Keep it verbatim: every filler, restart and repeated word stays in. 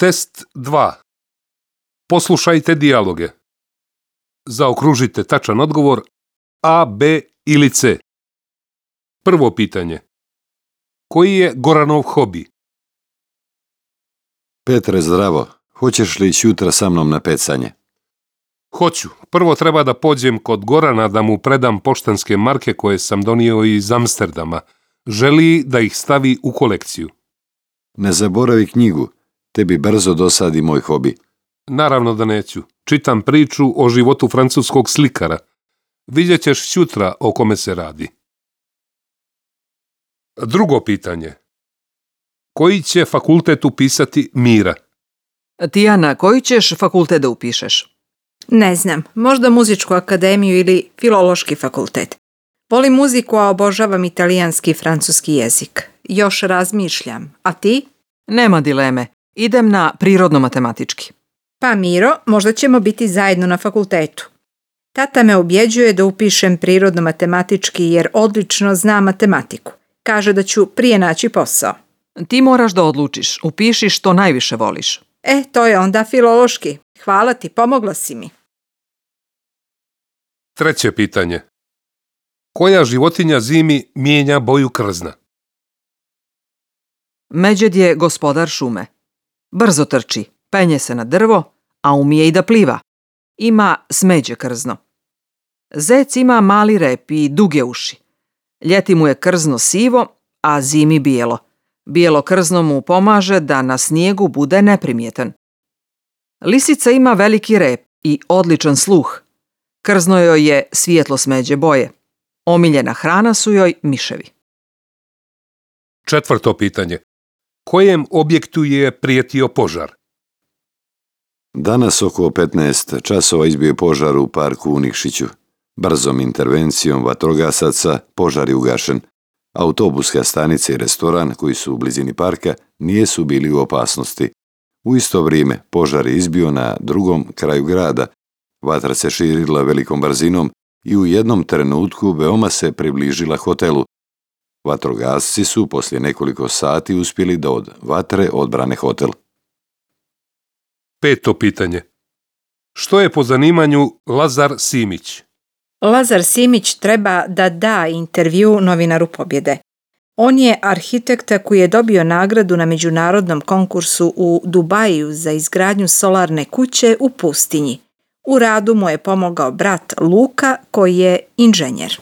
Test dva. Poslušajte dijaloge. Zaokružite tačan odgovor A, B ili C. Prvo pitanje. Koji je Goranov hobi? Petre, zdravo. Hoćeš li ići jutra sa mnom na pecanje? Hoću. Prvo treba da pođem kod Gorana da mu predam poštanske marke koje sam donio iz Amsterdama. Želi da ih stavi u kolekciju. Ne zaboravi knjigu. Tebi brzo dosadi moj hobi. Naravno da neću. Čitam priču o životu francuskog slikara. Vidjet ćeš sutra o kome se radi. Drugo pitanje. Koji će fakultet upisati Mira? Tijana, koji ćeš fakultet da upišeš? Ne znam, možda muzičku akademiju ili filološki fakultet. Volim muziku, a obožavam italijanski i francuski jezik. Još razmišljam. A ti? Nema dileme. Idem na prirodno-matematički. Pa Miro, možda ćemo biti zajedno na fakultetu. Tata me ubjeđuje da upišem prirodno-matematički jer odlično zna matematiku. Kaže da ću prije naći posao. Ti moraš da odlučiš. Upiši što najviše voliš. E, to je onda filološki. Hvala ti, pomogla si mi. Treće pitanje. Koja životinja zimi mijenja boju krzna? Međed je gospodar šume. Brzo trči, penje se na drvo, a umije i da pliva. Ima smeđe krzno. Zec ima mali rep i duge uši. Ljeti mu je krzno sivo, a zimi bijelo. Bijelo krzno mu pomaže da na snijegu bude neprimjetan. Lisica ima veliki rep i odličan sluh. Krzno joj je svijetlo smeđe boje. Omiljena hrana su joj miševi. Četvrto pitanje. Kojem objektu je prijetio požar? Danas oko petnaest časova izbio je požar u parku u Nikšiću. Brzom intervencijom vatrogasaca požar je ugašen. Autobuska stanica i restoran koji su u blizini parka nisu bili u opasnosti. U isto vrijeme požar je izbio na drugom kraju grada. Vatra se širila velikom brzinom i u jednom trenutku veoma se približila hotelu. Vatrogasci su poslije nekoliko sati uspjeli da od vatre odbrane hotel. Peto pitanje. Što je po zanimanju Lazar Simić? Lazar Simić treba da da intervju novinaru Pobjede. On je arhitekta koji je dobio nagradu na međunarodnom konkursu u Dubaju za izgradnju solarne kuće u pustinji. U radu mu je pomogao brat Luka koji je inženjer.